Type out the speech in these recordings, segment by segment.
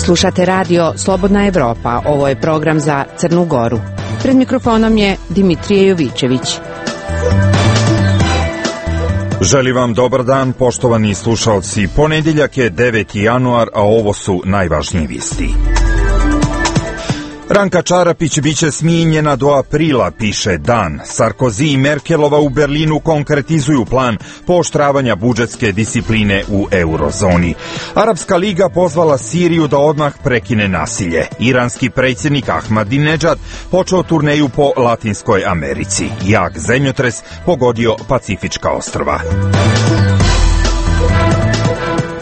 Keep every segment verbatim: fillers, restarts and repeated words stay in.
Slušate radio Slobodna Evropa, ovo je program za Crnu Goru. Pred mikrofonom je Dimitrije Jovićević. Želim vam dobar dan, poštovani slušalci. Ponedjeljak je deveti januar, a ovo su najvažnije vijesti. Ranka Čarapić biće smijenjena do aprila, piše Dan. Sarkozy i Merkelova u Berlinu konkretizuju plan pooštravanja budžetske discipline u eurozoni. Arapska liga pozvala Siriju da odmah prekine nasilje. Iranski predsjednik Ahmadinedžad počeo turneju po Latinskoj Americi. Jak zemljotres pogodio Pacifička ostrva.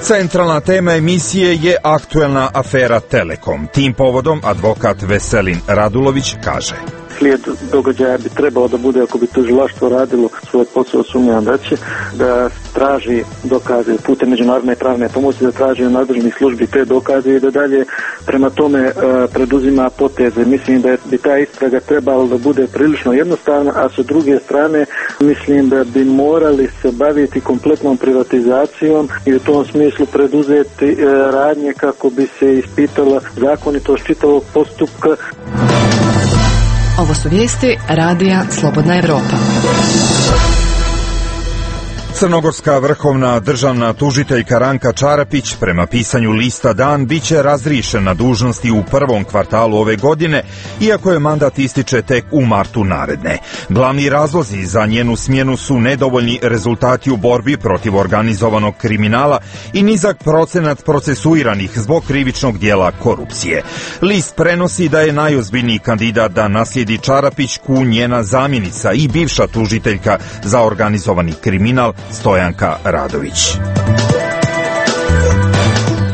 Centralna tema emisije je aktuelna afera Telekom. Tim povodom advokat Veselin Radulović kaže: Slijed događaja bi trebao da bude, ako bi tužilaštvo radilo svoj posao, sumnjam da će, da traži dokaze putem međunarodne pravne pomoći, da traži od nadležnih službi te dokaze i da dalje prema tome e, preduzima poteze. Mislim da bi ta istraga trebala da bude prilično jednostavna, a sa druge strane mislim da bi morali se baviti kompletnom privatizacijom i u tom smislu preduzeti e, radnje kako bi se ispitala zakonitost čitavog postupka. Ovo su vijesti radija Slobodna Evropa. Crnogorska vrhovna državna tužiteljka Ranka Čarapić prema pisanju lista Dan biće razriješena dužnosti u prvom kvartalu ove godine, iako je mandat ističe tek u martu naredne. Glavni razlozi za njenu smjenu su nedovoljni rezultati u borbi protiv organizovanog kriminala i nizak procenat procesuiranih zbog krivičnog dijela korupcije. List prenosi da je najozbiljniji kandidat da naslijedi Čarapićku njena zamjenica i bivša tužiteljka za organizovani kriminal Stojanka Radović.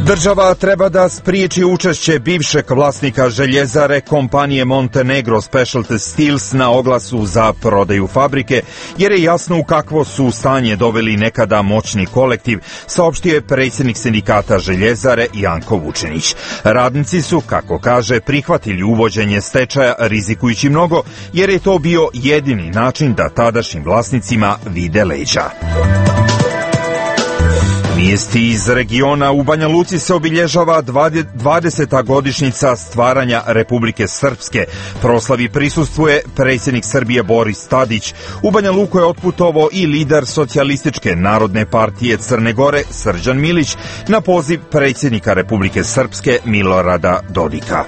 Država treba da spriječi učešće bivšeg vlasnika željezare kompanije Montenegro Specialty Steels na oglasu za prodaju fabrike, jer je jasno u kakvo su stanje doveli nekada moćni kolektiv, saopštio je predsjednik sindikata željezare Janko Vučinić. Radnici su, kako kaže, prihvatili uvođenje stečaja rizikujući mnogo, jer je to bio jedini način da tadašnjim vlasnicima vide leđa. Vijesti iz regiona. U Banja Luci se obilježava dvadeseta godišnjica stvaranja Republike Srpske. Proslavi prisustvuje predsjednik Srbije Boris Tadić. U Banja Luku je otputovao i lider Socijalističke narodne partije Crne Gore Srđan Milić na poziv predsjednika Republike Srpske Milorada Dodika.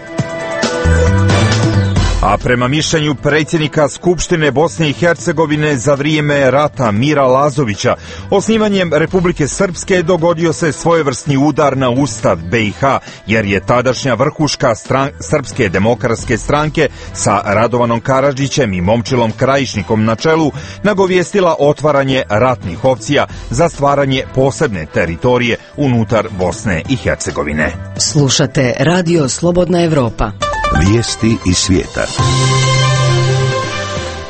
A prema mišljenju predsjednika Skupštine Bosne i Hercegovine za vrijeme rata Mira Lazovića, osnivanjem Republike Srpske dogodio se svojevrsni udar na Ustav B i H, jer je tadašnja vrhuška stran- Srpske demokratske stranke sa Radovanom Karadžićem i Momčilom Krajišnikom na čelu nagovijestila otvaranje ratnih opcija za stvaranje posebne teritorije unutar Bosne i Hercegovine. Slušate radio Slobodna Evropa. Vijesti iz svijeta.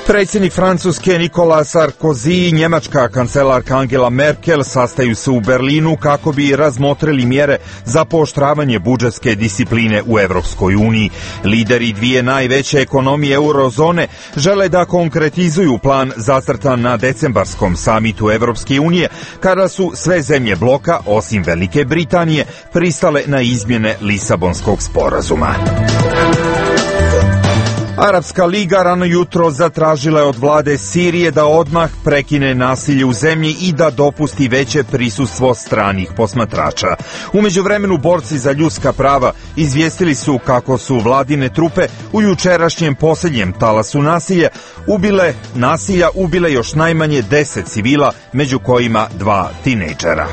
Predsjednik Francuske Nikola Sarkozy i njemačka kancelarka Angela Merkel sastaju se u Berlinu kako bi razmotrili mjere za pooštravanje budžetske discipline u Evropskoj uniji. Lideri dvije najveće ekonomije eurozone žele da konkretizuju plan zacrtan na decembarskom samitu Evropske unije, kada su sve zemlje bloka, osim Velike Britanije, pristale na izmjene Lisabonskog sporazuma. Arapska liga rano jutro zatražila je od vlade Sirije da odmah prekine nasilje u zemlji i da dopusti veće prisustvo stranih posmatrača. U međuvremenu borci za ljudska prava izvijestili su kako su vladine trupe u jučerašnjem posljednjem talasu nasilja ubile nasilja ubile još najmanje deset civila, među kojima dva tinejdžera.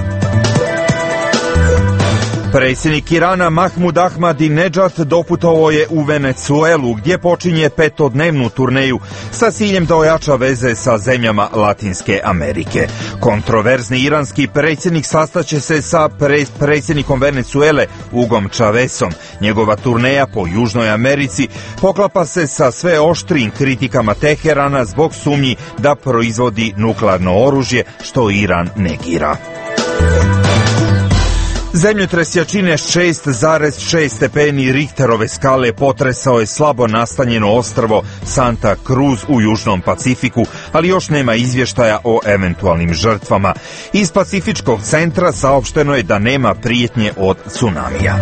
Predsjednik Irana Mahmud Ahmadinedžad doputovao je u Venecuelu, gdje počinje petodnevnu turneju sa ciljem da ojača veze sa zemljama Latinske Amerike. Kontroverzni iranski predsjednik sastaće se sa pre- predsjednikom Venecuele Hugom Chavezom. Njegova turneja po Južnoj Americi poklapa se sa sve oštrijim kritikama Teherana zbog sumnji da proizvodi nuklearno oružje, što Iran negira. Zemljotres jačine šest zarez šest stepeni Richterove skale potresao je slabo nastanjeno ostrvo Santa Cruz u Južnom Pacifiku, ali još nema izvještaja o eventualnim žrtvama. Iz Pacifičkog centra saopšteno je da nema prijetnje od tsunamija.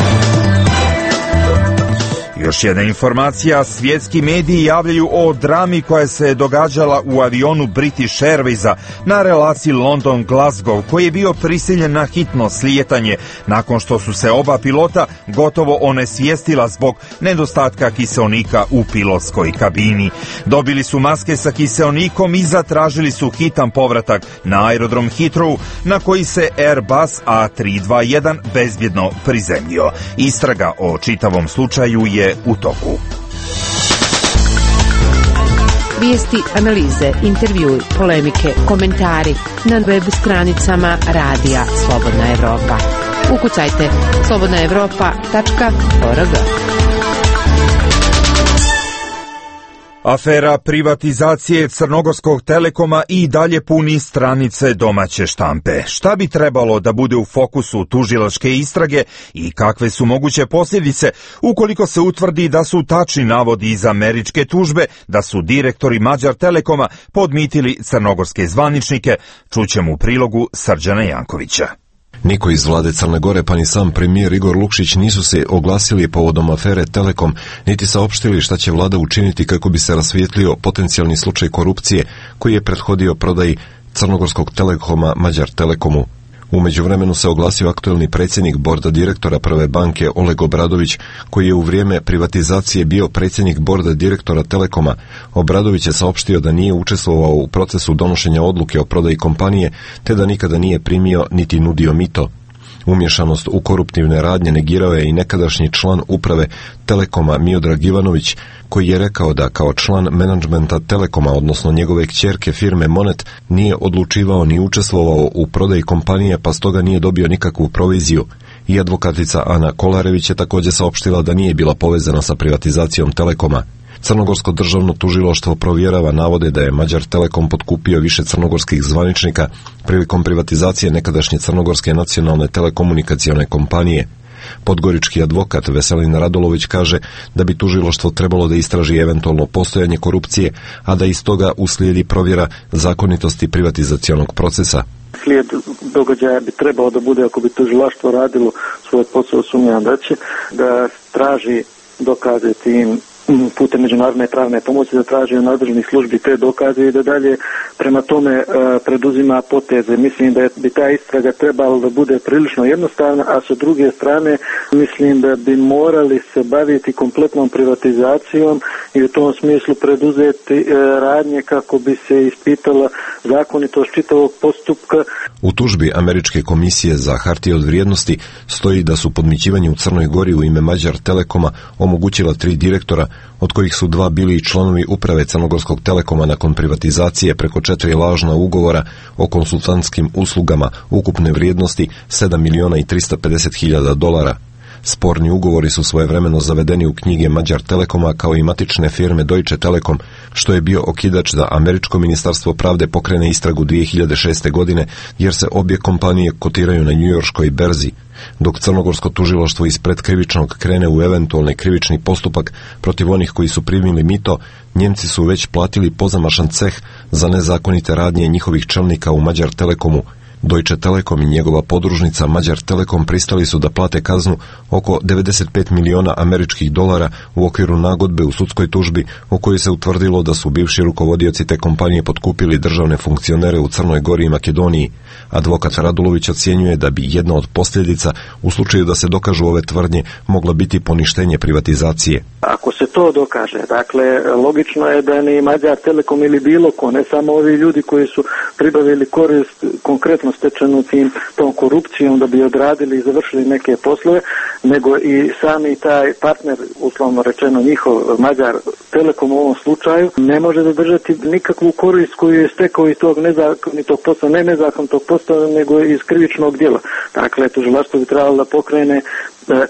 Još jedna informacija, svjetski mediji javljaju o drami koja se događala u avionu British Airwaysa na relaciji London-Glasgow, koji je bio prisiljen na hitno slijetanje nakon što su se oba pilota gotovo onesvijestila zbog nedostatka kiseonika u pilotskoj kabini. Dobili su maske sa kiseonikom i zatražili su hitan povratak na aerodrom Heathrow, na koji se Airbus A tri dva jedan bezbjedno prizemljio. Istraga o čitavom slučaju je u toku. Vijesti, analize, intervjui, polemike, komentari na web stranicama Radija Slobodna Evropa. Ukucajte slobodna evropa tačka org. Afera privatizacije Crnogorskog Telekoma i dalje puni stranice domaće štampe. Šta bi trebalo da bude u fokusu tužilačke istrage i kakve su moguće posljedice ukoliko se utvrdi da su tačni navodi iz američke tužbe da su direktori Mađar Telekoma podmitili crnogorske zvaničnike, čućemo u prilogu Srđana Jankovića. Niko iz vlade Crne Gore pa ni sam premijer Igor Lukšić nisu se oglasili povodom afere Telekom, niti saopštili šta će vlada učiniti kako bi se rasvijetlio potencijalni slučaj korupcije koji je prethodio prodaji Crnogorskog Telekoma Mađar Telekomu. U međuvremenu se oglasio aktuelni predsjednik borda direktora Prve banke Oleg Obradović, koji je u vrijeme privatizacije bio predsjednik borda direktora Telekoma. Obradović je saopštio da nije učestvovao u procesu donošenja odluke o prodaji kompanije, te da nikada nije primio niti nudio mito. Umješanost u koruptivne radnje negirao je i nekadašnji član uprave Telekoma Miodrag Ivanović, koji je rekao da kao član menadžmenta Telekoma, odnosno njegove kćerke firme Monet, nije odlučivao ni učestvovao u prodaji kompanije, pa stoga nije dobio nikakvu proviziju. I advokatica Ana Kolarević je također saopštila da nije bila povezana sa privatizacijom Telekoma. Crnogorsko državno tužilaštvo provjerava navode da je Mađar Telekom potkupio više crnogorskih zvaničnika prilikom privatizacije nekadašnje crnogorske nacionalne telekomunikacione kompanije. Podgorički advokat Veselin Radolović kaže da bi tužilaštvo trebalo da istraži eventualno postojanje korupcije, a da iz toga uslijedi provjera zakonitosti privatizacionog procesa. Slijed događaja bi trebalo da bude, ako bi tužilaštvo radilo svoj posao, sumnjam da će, da traži dokaze tim putem međunarodne pravne pomoći, da traži od nadležnih službi te dokaze i da dalje prema tome e, preduzima poteze. Mislim da bi ta istraga trebala da bude prilično jednostavna, a sa druge strane mislim da bi morali se baviti kompletnom privatizacijom i u tom smislu preduzeti e, radnje kako bi se ispitala zakonitost čitavog postupka. U tužbi Američke komisije za hartije od vrijednosti stoji da su podmićivanje u Crnoj Gori u ime Mađar Telekoma omogućila tri direktora, od kojih su dva bili i članovi uprave Crnogorskog Telekoma nakon privatizacije preko četiri lažna ugovora o konsultantskim uslugama ukupne vrijednosti sedam miliona i tristo pedeset hiljada dolara. Sporni ugovori su svojevremeno zavedeni u knjige Mađar Telekoma kao i matične firme Deutsche Telekom, što je bio okidač da Američko ministarstvo pravde pokrene istragu dvije hiljade šeste. godine, jer se obje kompanije kotiraju na njujorškoj berzi. Dok crnogorsko tužilaštvo iz predkrivičnog krene u eventualni krivični postupak protiv onih koji su primili mito, Njemci su već platili pozamašan ceh za nezakonite radnje njihovih čelnika u Mađar Telekomu. Deutsche Telekom i njegova podružnica Mađar Telekom pristali su da plate kaznu oko devedeset pet miliona američkih dolara u okviru nagodbe u sudskoj tužbi u kojoj se utvrdilo da su bivši rukovodioci te kompanije potkupili državne funkcionere u Crnoj Gori i Makedoniji. Advokat Radulović ocjenjuje da bi jedna od posljedica u slučaju da se dokažu ove tvrdnje mogla biti poništenje privatizacije. Ako se to dokaže, dakle, logično je da ni Mađar Telekom ili bilo ko, ne samo ovi ljudi koji su pribavili korist konkretno stečenu tim tom korupcijom da bi odradili i završili neke poslove, nego i sami taj partner, uslovno rečeno njihov Mađar Telekom u ovom slučaju, ne može zadržati nikakvu korist koju je stekao iz tog nezakonitog posla, ne nezakonitog posla, nego iz krivičnog djela. Dakle, tužilaštvo bi trebalo da pokrene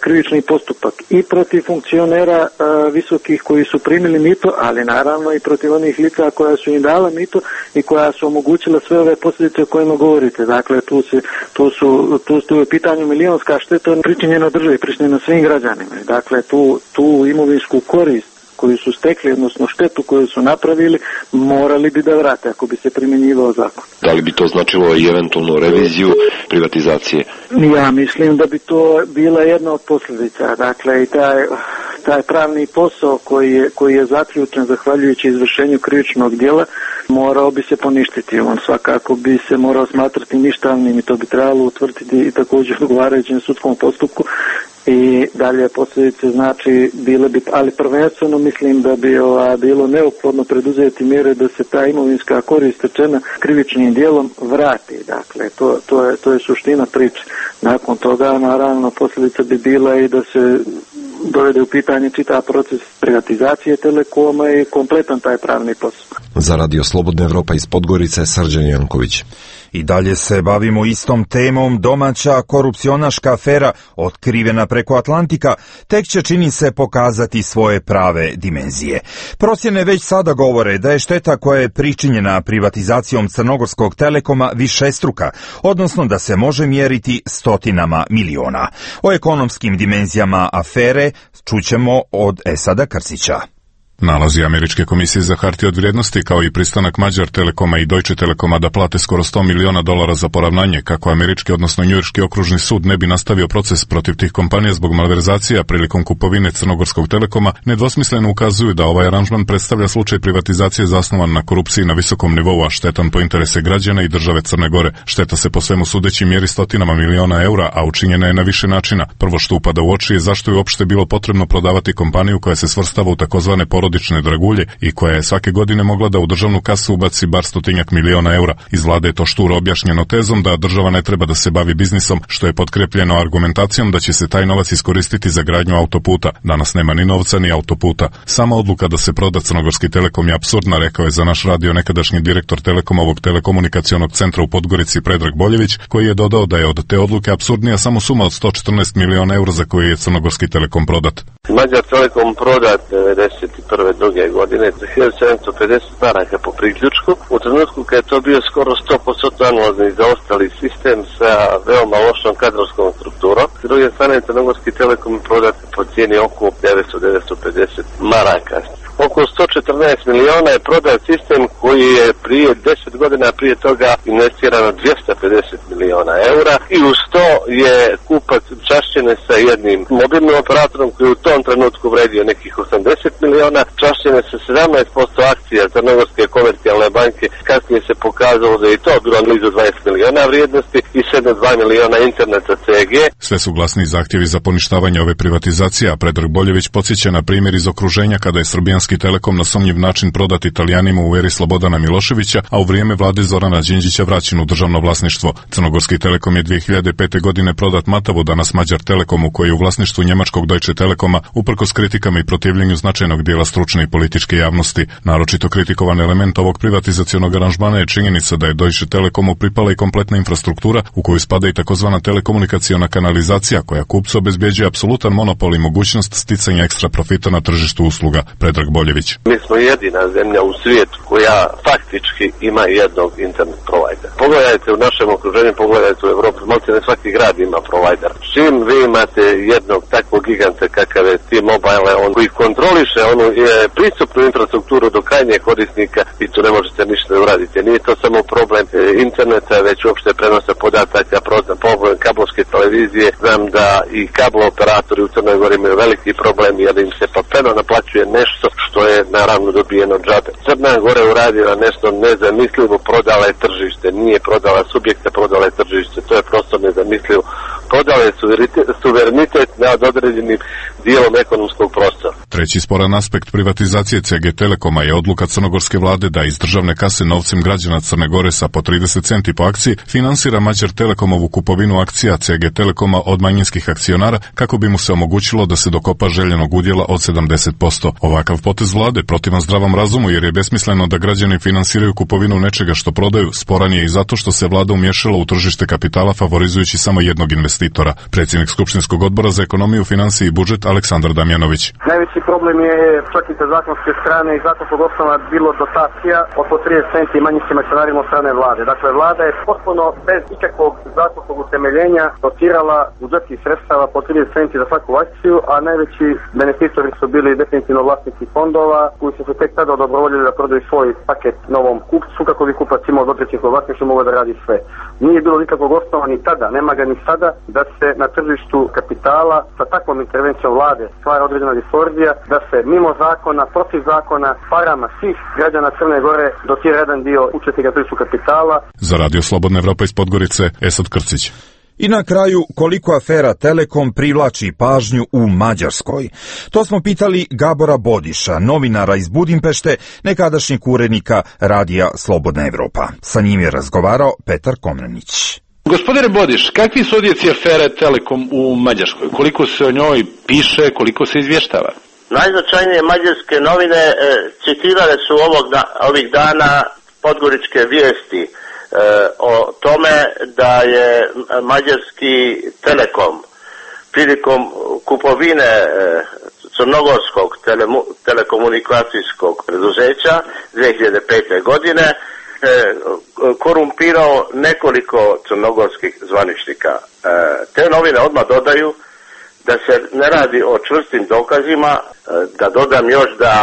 krivični postupak i protiv funkcionera a, visokih koji su primili mito, ali naravno i protiv onih lica koja su im dala mito i koja su omogućila sve ove posljedice o kojima govorite. Dakle, tu se tu su tu, tu je pitanju milionska šteta pričinjena državi, pričinjena svim građanima. Dakle, tu tu imovinsku korist koju su stekli, odnosno štetu koju su napravili, morali bi da vrate ako bi se primjenjivao zakon. Da li bi to značilo i eventualnu reviziju privatizacije? Ja mislim da bi to bila jedna od posljedica. Dakle, i taj, taj pravni posao koji je, koji je zaključen zahvaljujući izvršenju krivičnog djela morao bi se poništiti. On svakako bi se morao smatrati ništavnim i to bi trebalo utvrditi i također odgovarajućem sudskom postupku. I dalje posljedice znači bile bi, ali prvenstveno mislim da bi ova, bilo neophodno preduzeti mjere da se ta imovinska korist stečena krivičnim djelom vrati. Dakle, to, to, je, to je suština priče. Nakon toga, naravno, posljedica bi bila i da se dovede u pitanje čitav proces privatizacije Telekoma i kompletan taj pravni posao. Za Radio Slobodna Evropa iz Podgorice, Srđan Janković. I dalje se bavimo istom temom. Domaća korupcionaška afera otkrivena preko Atlantika tek će, čini se, pokazati svoje prave dimenzije. Procjene već sada govore da je šteta koja je pričinjena privatizacijom Crnogorskog Telekoma višestruka, odnosno da se može mjeriti stotinama miliona. O ekonomskim dimenzijama afere čućemo od Esada Krsića. Nalazi Američke komisije za hartije od vrijednosti kao i pristanak Mađar Telekoma i Deutsche Telekoma da plate skoro sto miliona dolara za poravnanje kako američki, odnosno njujorški okružni sud ne bi nastavio proces protiv tih kompanija zbog malverzacija prilikom kupovine Crnogorskog Telekoma, nedvosmisleno ukazuju da ovaj aranžman predstavlja slučaj privatizacije zasnovan na korupciji na visokom nivou, a štetan po interese građana i države Crne Gore. Šteta se po svemu sudeći mjeri stotinama miliona eura, a učinjena je na više načina. Prvo što upada u oči je zašto je uopšte bilo potrebno prodavati kompaniju koja se svrstava u takozvane porodične dragulje i koja je svake godine mogla da u državnu kasu ubaci bar stotinjak miliona eura. Iz vlade je to šturo objašnjeno tezom da država ne treba da se bavi biznisom, što je potkrepljeno argumentacijom da će se taj novac iskoristiti za gradnju autoputa. Danas nema ni novca ni autoputa. Sama odluka da se proda Crnogorski Telekom je apsurdna, rekao je za naš radio nekadašnji direktor Telekomovog telekomunikacionog centra u Podgorici Predrag Boljević, koji je dodao da je od te odluke apsurdnija samo suma od sto četrnaest miliona eura za koju je Crnogorski Telekom prodat. Mađar Telekom prodat devedeset prve druge godine za hiljadu sedamsto pedeset maraka po priključku. U trenutku kad je to bio skoro sto posto anulazni zaostali sistem sa veoma lošom kadrovskom strukturom. S druge strane, Crnogorski Telekom je prodat po cijeni oko devetsto do devetsto pedeset maraka. Oko sto četrnaest miliona je prodat sistem koji je prije deset godina prije toga investirano dvjesto pedeset miliona eura i uz to je kupac čašćene sa jednim mobilnim operatorom koji u tom trenutku vredio nekih osamdeset miliona, čašćene sa sedamnaest posto akcija Crnogorske komercijalne banke. Kasnije se pokazalo da je to bilo blizu dvadeset miliona vrijednosti i sedam zarez dva miliona interneta C G. Sve su glasni zahtjevi za poništavanje ove privatizacije, a Predrag Boljević podsjeća na primjer iz okruženja kada je Srbijanski Telekom na sumnjiv način prodat Italijanima u eri Slobodana Miloševića, a u vrijeme vlade Zorana Đinđića vraćen u državno vlasništvo. Crnogorski Telekom je dvije hiljade pete. godine prodat Matavu, danas Mađar Telekomu, koji je u vlasništvu njemačkog Deutsche Telekoma, uprkos kritikama i protivljenju značajnog dijela stručne i političke javnosti. Naročito kritikovan element ovog privatizacionog aranžmana je činjenica da je Deutsche Telekomu pripala i kompletna infrastruktura u koju spada i takozvana telekomunikaciona kanalizacija koja kupcu obezbjeđuje apsolutan monopol i mogućnost sticanja ekstra profita na tržištu usluga. Predrag Boljević. Mi smo jedina zemlja u svijetu koja faktički ima jednog internet provajdera. Pogledajte u našem okruženju, pogledajte u Evropi, maltene svaki grad ima provider. Čim vi imate jednog takvog giganta kakav je T-Mobile, on koji kontroliše onu je, pristupnu infrastrukturu do krajnjeg korisnika i tu ne možete ništa da uradite. Nije to samo problem e, interneta, već uopšte prenosa podataka, problem kablovske televizije. Znam da i kablo operatori u Crnoj Gori imaju veliki problem jer im se papeno naplaćuje nešto što je naravno dobijeno džabe. Crna Gora je uradila nešto nezamislivo, prodala je tržište, nije prodala subjekte, prodala je tržište, to je prosto nezamislivo. Prodala je suverenitet nad određenim dijelom ekonomskog prostora. Treći sporan aspekt privatizacije C G Telekoma je odluka crnogorske vlade da iz državne kase novcem građana Crne Gore sa po trideset centi po akciji finansira Mađar Telekomovu kupovinu akcija C G Telekoma od manjinskih akcionara kako bi mu se omogućilo da se dokopa željenog udjela od sedamdeset posto. Ovakav potez vlade protivan zdravom razumu jer je besmisleno da građani finansiraju kupovinu nečega što prodaju. Sporan je i zato što se vlada umješala u tržište kapitala favorizujući samo jednog investitora. Predsjednik Skupštinskog odbora za ekonomiju, financije i budžet Aleksandar Damjanović. Najveći problem je čak i sa zakonske strane i zakonskog osnova bilo dotacija od po trideset centi manjinskim akcionarima od strane vlade. Dakle, vlada je potpuno bez ikakvog zakonskog utemeljenja dotirala budžetskih sredstava po trideset centi za svaku akciju, a najveći benefitori su bili definitivno vlasnici fondova koji su se tek tada odobrovoljili da prodaju svoj paket novom kupcu kako bi kupac imao dvotrećinsko vlasništvo, mogao da radi sve. Nije bilo nikakvog osnova ni tada, nema ga ni sada, da se na tržištu kapitala sa takvom intervencijom vlade stvara određena distorzija, da se mimo zakona, protiv zakona, parama svih građana Crne Gore dotira jedan dio učesnika tržištu kapitala. Za Radio Slobodna Evropa iz Podgorice, Esad Krcić. I na kraju, koliko afera Telekom privlači pažnju u Mađarskoj? To smo pitali Gabora Bodiša, novinara iz Budimpešte, nekadašnjeg urednika Radija Slobodna Evropa. Sa njim je razgovarao Petar Komnenić. Gospodine Bodiš, kakvi su odjeci afere Telekom u Mađarskoj? Koliko se o njoj piše, koliko se izvještava? Najznačajnije mađarske novine e, citirale su ovog da, ovih dana podgoričke vijesti e, o tome da je mađarski Telekom prilikom kupovine e, crnogorskog telemu, telekomunikacijskog preduzeća dvije hiljade pete. godine e, korumpirao nekoliko crnogorskih zvaničnika. E, te novine odmah dodaju da se ne radi o čvrstim dokazima, da dodam još da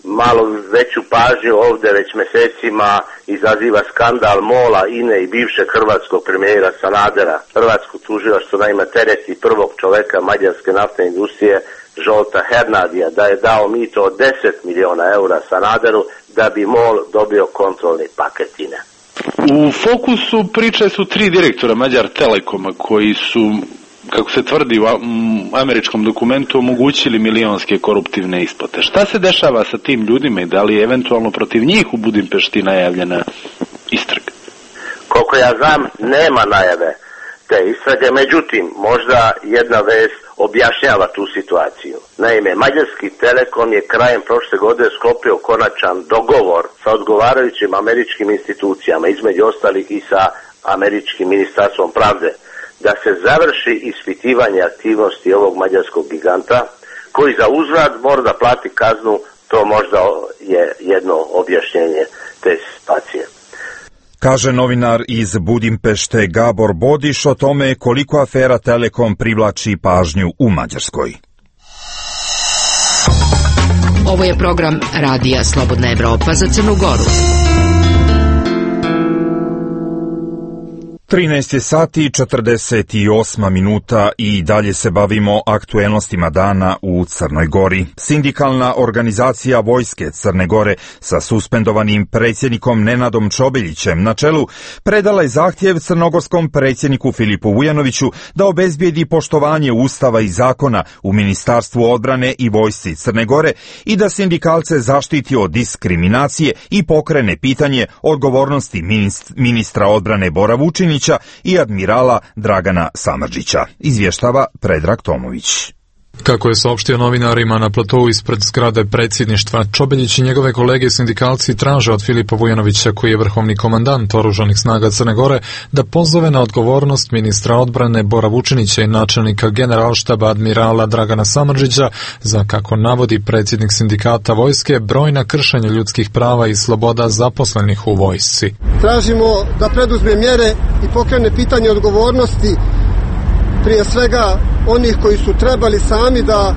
malo veću pažnju ovdje već mjesecima izaziva skandal MOL-a, I N E i bivšeg hrvatskog premijera Sanadera. Hrvatsko tužilaštvo naime tereti prvog čoveka mađarske naftne industrije Zsolta Hernadija da je dao mito od deset miliona eura Sanaderu da bi MOL dobio kontrolni paket I N E. U fokusu priče su tri direktora Mađar Telekoma koji su, kako se tvrdi u američkom dokumentu, omogućili milionske koruptivne isplate. Šta se dešava sa tim ljudima i da li je eventualno protiv njih u Budimpešti najavljena istraga? Koliko ja znam, nema najave te istrage, međutim, možda jedna vest objašnjava tu situaciju. Naime, Mađarski Telekom je krajem prošle godine sklopio konačan dogovor sa odgovarajućim američkim institucijama, između ostalih i sa američkim ministarstvom pravde, da se završi ispitivanje aktivnosti ovog mađarskog giganta, koji za uzvrat mora da plati kaznu. To možda je jedno objašnjenje te situacije. Kaže novinar iz Budimpešte Gabor Bodiš o tome koliko afera Telekom privlači pažnju u Mađarskoj. Ovo je program Radija Slobodna Evropa za Crnu Goru. trinaest je sati četrdeset osam minuta i dalje se bavimo aktuelnostima dana u Crnoj Gori. Sindikalna organizacija Vojske Crne Gore sa suspendovanim predsjednikom Nenadom Čobeljićem na čelu predala je zahtjev crnogorskom predsjedniku Filipu Vujanoviću da obezbijedi poštovanje Ustava i zakona u Ministarstvu odbrane i Vojsci Crne Gore i da sindikalce zaštiti od diskriminacije i pokrene pitanje odgovornosti ministra odbrane Bora Vučinića i admirala Dragana Samardžića, izvještava Predrag Tomović. Kako je saopštio novinarima na platovu ispred zgrade predsjedništva, Čobeljić i njegove kolege sindikalci traže od Filipa Vujanovića, koji je vrhovni komandant oružanih snaga Crne Gore, da pozove na odgovornost ministra odbrane Bora Vučinića i načelnika generalštaba admirala Dragana Samardžića za, kako navodi predsjednik sindikata Vojske, brojna kršenja ljudskih prava i sloboda zaposlenih u vojsci. Tražimo da preduzme mjere i pokrene pitanje odgovornosti, prije svega onih koji su trebali sami da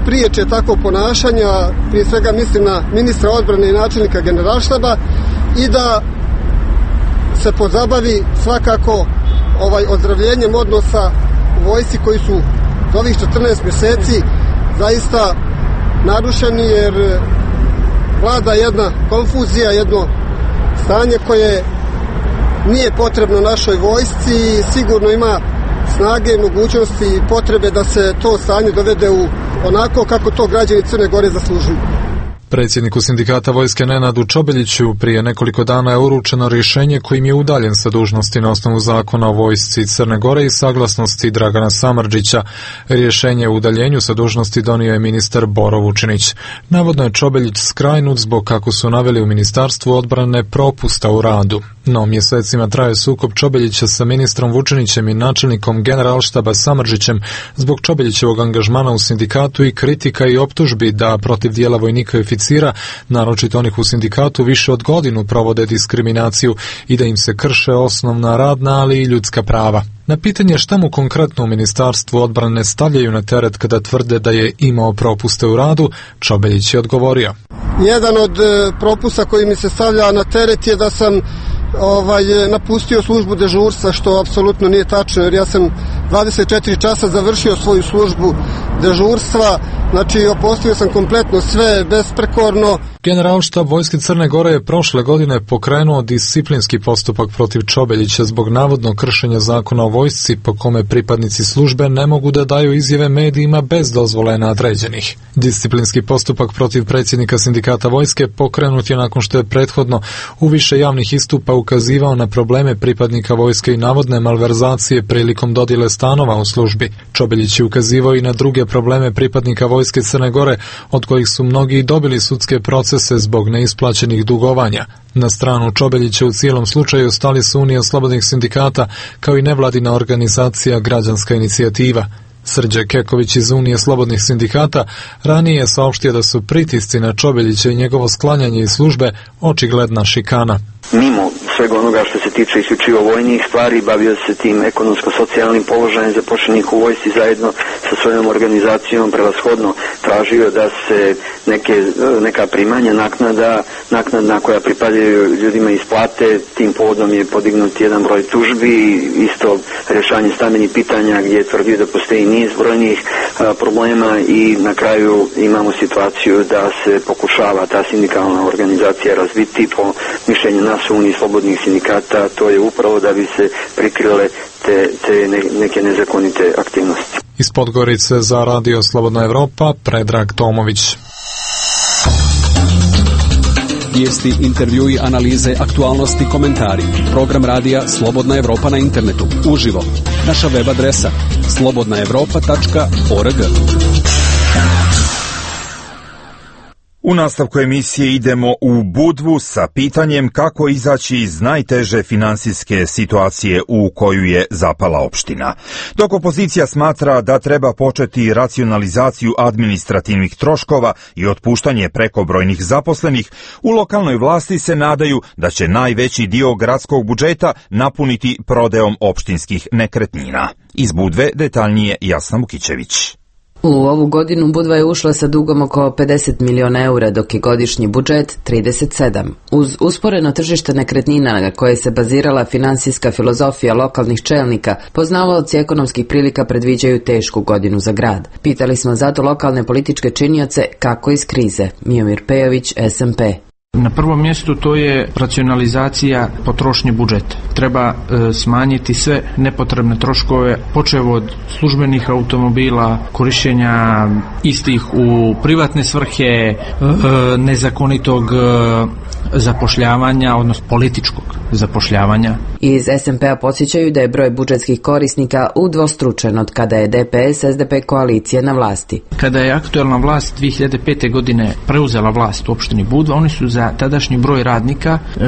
spriječe takvo ponašanje, prije svega mislim na ministra odbrane i načelnika generalštaba, i da se pozabavi svakako ovaj ozdravljenjem odnosa u vojsci koji su za ovih četrnaest mjeseci zaista narušeni, jer vlada jedna konfuzija, jedno stanje koje nije potrebno našoj vojsci i sigurno ima snage, mogućnosti i potrebe da se to stanje dovede u onako kako to građani Crne Gore zaslužuju. Predsjedniku sindikata Vojske Nenadu Čobeljiću prije nekoliko dana je uručeno rješenje kojim je udaljen sa dužnosti na osnovu zakona o Vojsci Crne Gore i saglasnosti Dragana Samardžića. Rješenje o udaljenju sa dužnosti donio je ministar Boro Vučinić. Navodno je Čobeljić skrajnut zbog, kako su naveli u Ministarstvu odbrane, propusta u radu. No, mjesecima traje sukob Čobeljića sa ministrom Vučinićem i načelnikom Generalštaba Samardžićem zbog Čobeljićevog angažmana u sindikatu i kritika i optužbi da protiv dijela vojnika i oficira, naročito onih u sindikatu, više od godinu provode diskriminaciju i da im se krše osnovna radna, ali i ljudska prava. Na pitanje šta mu konkretno u Ministarstvu odbrane stavljaju na teret kada tvrde da je imao propuste u radu, Čobeljić je odgovorio. Jedan od propusta koji mi se stavlja na teret je da sam ovaj, napustio službu dežurstva, što apsolutno nije tačno, jer ja sam dvadeset četiri časa završio svoju službu dežurstva, znači opustio sam kompletno sve, besprekorno. Generalštab Vojske Crne Gore je prošle godine pokrenuo disciplinski postupak protiv Čobeljića zbog navodno kršenja zakona o vojsci, po kome pripadnici službe ne mogu da daju izjave medijima bez dozvole nadređenih. Disciplinski postupak protiv predsjednika sindikata vojske pokrenut je nakon što je prethodno u više javnih istupa ukazivao na probleme pripadnika vojske i navodne malverzacije prilikom dodjele stanova u službi. Čobeljić je ukazivao i na druge probleme pripadnika Vojske Crne Gore, od kojih su mnogi dobili sudske procese zbog neisplaćenih dugovanja. Na stranu Čobeljića u cijelom slučaju stali su Unija slobodnih sindikata, kao i nevladina organizacija Građanska inicijativa. Srđe Keković iz Unije slobodnih sindikata ranije je saopštio da su pritisci na Čobeljića i njegovo sklanjanje iz službe očigledna šikana. Mimo svega onoga što se tiče isključivo vojnih stvari, bavio se tim ekonomsko-socijalnim položajem zaposlenih u vojsci zajedno sa svojom organizacijom, prevashodno tražio da se neke, neka primanja naknada, naknadna koja pripadaju ljudima isplate. Tim povodom je podignut jedan broj tužbi, isto rješanje stambenih pitanja gdje je tvrdio da postoji niz brojnih a, problema i na kraju imamo situaciju da se pokušava ta sindikalna organizacija razviti. Po mišljenju nas u Uniji slobodnih sindikata, to je upravo da bi se prikrile te, te ne, neke nezakonite aktivnosti. Iz Podgorice za Radio Slobodna Evropa, Predrag Tomović. Vijesti, intervjui, analize, aktualnosti, komentari. Program radija Slobodna Evropa na internetu. Uživo. Naša web adresa slobodna evropa tačka org. U nastavku emisije idemo u Budvu sa pitanjem kako izaći iz najteže finansijske situacije u koju je zapala opština. Dok opozicija smatra da treba početi racionalizaciju administrativnih troškova i otpuštanje prekobrojnih zaposlenih, u lokalnoj vlasti se nadaju da će najveći dio gradskog budžeta napuniti prodajom opštinskih nekretnina. Iz Budve detaljnije Jasna Mukićević. U ovu godinu Budva je ušla sa dugom oko pedeset miliona eura, dok je godišnji budžet trideset sedam. Uz usporeno tržište nekretnina na koje se bazirala finansijska filozofija lokalnih čelnika, poznavaoci ekonomskih prilika predviđaju tešku godinu za grad. Pitali smo zato lokalne političke činioce kako iz krize. Miomir Pejović, S M P. Na prvom mjestu to je racionalizacija potrošnje budžeta. Treba e, smanjiti sve nepotrebne troškove, počev od službenih automobila, korištenja istih u privatne svrhe, e, nezakonitog e, zapošljavanja, odnosno političkog zapošljavanja. Iz S M P-a podsjećaju da je broj budžetskih korisnika udvostručen od kada je D P S S D P koalicija na vlasti. Kada je aktuelna vlast dvije hiljade pete. godine preuzela vlast u opštini Budva, oni su za tadašnji broj radnika e,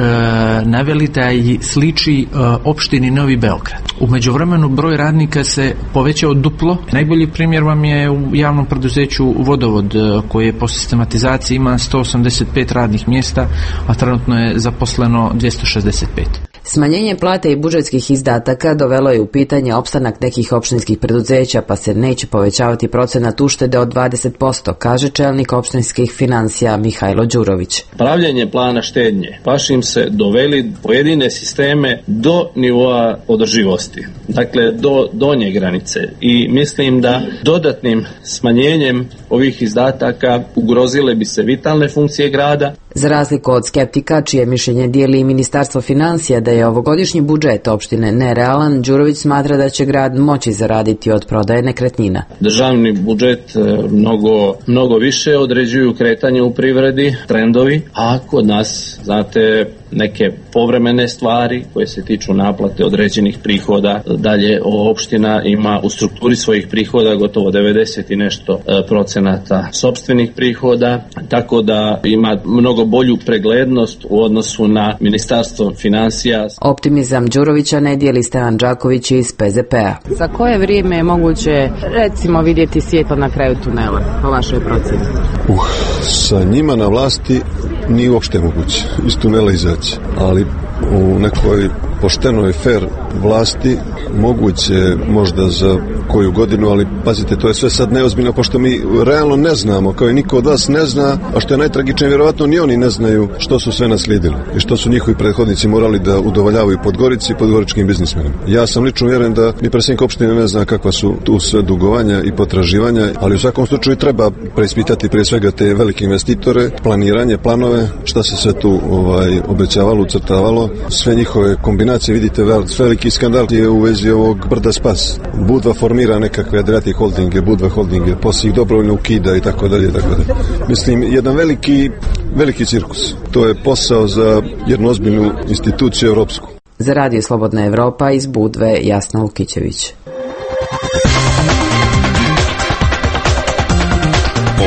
naveli da i sliči e, opštini Novi Beograd. U međuvremenu broj radnika se povećao duplo. Najbolji primjer vam je u javnom preduzeću Vodovod, koje po sistematizaciji ima sto osamdeset pet radnih mjesta, a trenutno je zaposleno dvjesto šezdeset pet. Smanjenje plate i budžetskih izdataka dovelo je u pitanje opstanak nekih opštinskih preduzeća, pa se neće povećavati procenat uštede od dvadeset posto, kaže čelnik opštinskih financija Mihajlo Đurović. Pravljenje plana štednje baš im se doveli pojedine sisteme do nivoa održivosti, dakle do donje granice, i mislim da dodatnim smanjenjem ovih izdataka ugrozile bi se vitalne funkcije grada. Za razliku od skeptika, čije mišljenje dijeli i Ministarstvo financija da je ovogodišnji budžet opštine nerealan, Đurović smatra da će grad moći zaraditi od prodaje nekretnina. Državni budžet mnogo, mnogo više određuju kretanje u privredi, trendovi, a kod nas, znate, neke povremene stvari koje se tiču naplate određenih prihoda. Dalje, opština ima u strukturi svojih prihoda gotovo devedeset i nešto procenata sopstvenih prihoda, tako da ima mnogo bolju preglednost u odnosu na Ministarstvo finansija. Optimizam Đurovića ne dijeli Stevan Đaković iz P Z P-a. Za koje vrijeme je moguće, recimo, vidjeti svjetlo na kraju tunela, po vašoj procjeni? Uh, sa njima na vlasti nije uopšte moguće iz tunela izaći, ali u nekoj poštenoj fair vlasti moguće možda za koju godinu, ali pazite, to je sve sad neozbiljno, pošto mi realno ne znamo, kao i niko od vas ne zna, a što je najtragičnije, vjerovatno ni oni ne znaju što su sve naslijedili i što su njihovi prethodnici morali da udovoljavaju Podgorici i podgoričkim biznismenima. Ja sam lično vjeren da ni predsjednik opštine ne zna kakva su tu sve dugovanja i potraživanja, ali u svakom slučaju treba preispitati prije svega te velike investitore, planiranje, planove, šta se sve tu ovaj, obećavalo, ucrtavalo, sve njihove kombinacije. Vidite, veliki skandal je u vezi ovog brda Spas. Budva formira nekakve Adriatic holdinge, Budva holdinge, poslije ih dobrovoljno ukida i tako dalje, tako dalje. Mislim, jedan veliki, veliki cirkus. To je posao za jednu ozbiljnu instituciju europsku. Za Radio Slobodna Evropa iz Budve, Jasna Lukićević.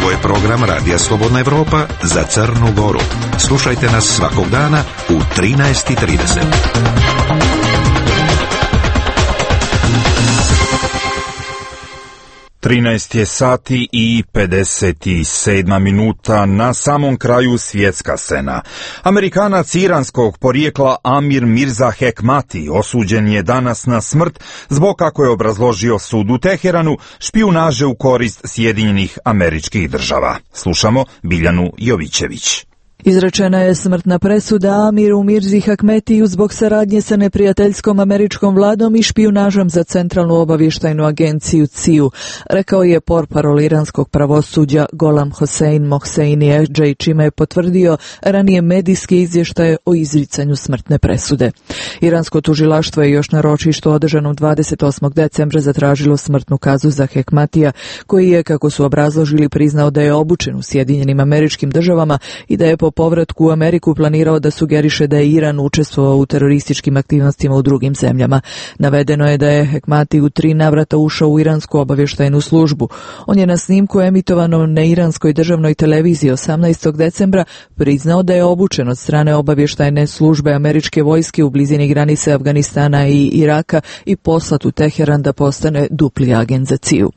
Ovo je program Radija Slobodna Evropa za Crnu Goru. Slušajte nas svakog dana u trinaest i trideset. trinaest je sati i pedeset sedam minuta, na samom kraju svjetska scena. Amerikanac iranskog porijekla Amir Mirza Hekmati osuđen je danas na smrt zbog, kako je obrazložio sud u Teheranu, špijunaže u korist Sjedinjenih Američkih Država. Slušamo Biljanu Jovićević. Izrečena je smrtna presuda Amiru Mirzi Hekmetiju zbog saradnje sa neprijateljskom američkom vladom i špijunažom za Centralnu obavještajnu agenciju C I U, rekao je portparol iranskog pravosuđa Golam Hossein Mohseini Ehdžej, čime je potvrdio ranije medijske izvještaje o izricanju smrtne presude. Iransko tužilaštvo je još na ročištu održanom dvadeset osmog decembra zatražilo smrtnu kaznu za Hekmatija, koji je, kako su obrazložili, priznao da je obučen u Sjedinjenim Američkim Državama i da je po povratku u Ameriku planirao da sugeriše da je Iran učestvovao u terorističkim aktivnostima u drugim zemljama. Navedeno je da je Hekmati u tri navrata ušao u iransku obavještajnu službu. On je na snimku emitovanom na iranskoj državnoj televiziji osamnaestog decembra priznao da je obučen od strane obavještajne službe američke vojske u blizini granice Afganistana i Iraka i poslat u Teheran da postane dupli agent za C I U.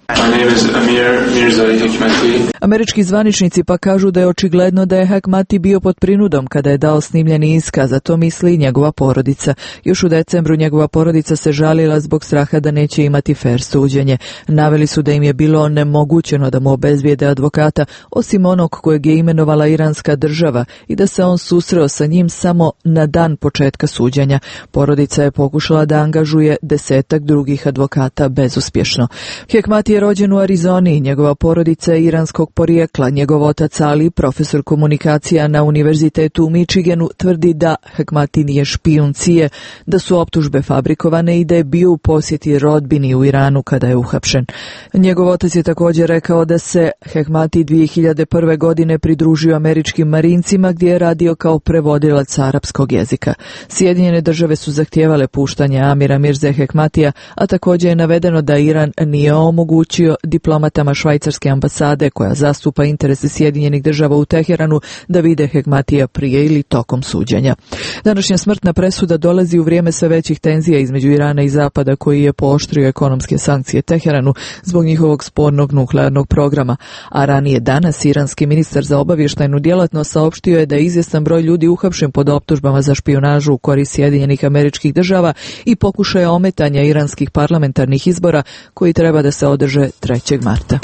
Američki zvaničnici pa kažu da je očigledno da je Hekmati bio pod prinudom kada je dao snimljeni iskaz, a to misli i njegova porodica. Još u decembru njegova porodica se žalila zbog straha da neće imati fer suđenje. Naveli su da im je bilo onemogućeno da mu obezbijede advokata, osim onog kojeg je imenovala iranska država, i da se on susreo sa njim samo na dan početka suđenja. Porodica je pokušala da angažuje desetak drugih advokata bezuspješno. Hekmati je rođen u Arizoni, njegova porodica je iranskog porijekla. Njegov otac Ali, profesor komunikacija na Univerzitetu u Michiganu, tvrdi da Hekmati nije špijun C I A, da su optužbe fabrikovane i da je bio u posjeti rodbini u Iranu kada je uhapšen. Njegov otac je također rekao da se Hekmati dvije hiljade prve. godine pridružio američkim marincima gdje je radio kao prevodilac arapskog jezika. Sjedinjene države su zahtijevale puštanje Amira Mirze Hekmatija, a također je navedeno da Iran nije omogućio diplomatama švajcarske ambasade, koja zastupa interese Sjedinjenih država u Teheranu, da vide Hekmatija prije ili tokom suđenja. Današnja smrtna presuda dolazi u vrijeme sve većih tenzija između Irana i Zapada, koji je pooštrio ekonomske sankcije Teheranu zbog njihovog spornog nuklearnog programa, a ranije danas iranski ministar za obavještajnu djelatnost saopštio je da je izvjestan broj ljudi uhapšen pod optužbama za špijunažu u korist Sjedinjenih Američkih Država i pokušaja ometanja iranskih parlamentarnih izbora koji treba da se održe trećeg marta.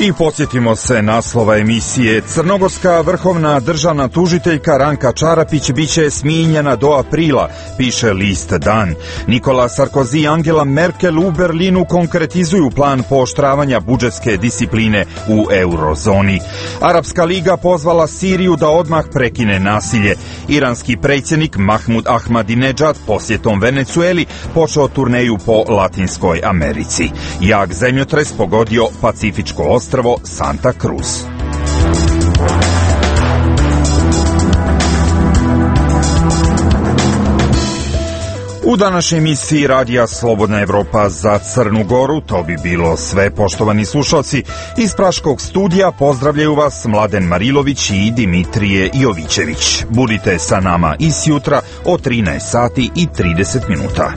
I podsjetimo se naslova emisije. Crnogorska vrhovna državna tužiteljka Ranka Čarapić biće smijenjena do aprila, piše list Dan. Nikola Sarkozy i Angela Merkel u Berlinu konkretizuju plan pooštravanja budžetske discipline u eurozoni. Arapska liga pozvala Siriju da odmah prekine nasilje. Iranski predsjednik Mahmud Ahmadinejad posjetom Venecueli počeo turneju po Latinskoj Americi. Jak zemljotres pogodio Pacifičko ostrvo Santa Cruz. U današnjoj emisiji Radija Slobodna Evropa za Crnu Goru to bi bilo sve, poštovani slušalci. Iz Praškog studija pozdravljaju vas Mladen Marilović i Dimitrije Jovićević. Budite sa nama i sjutra o trinaest sati i trideset minuta.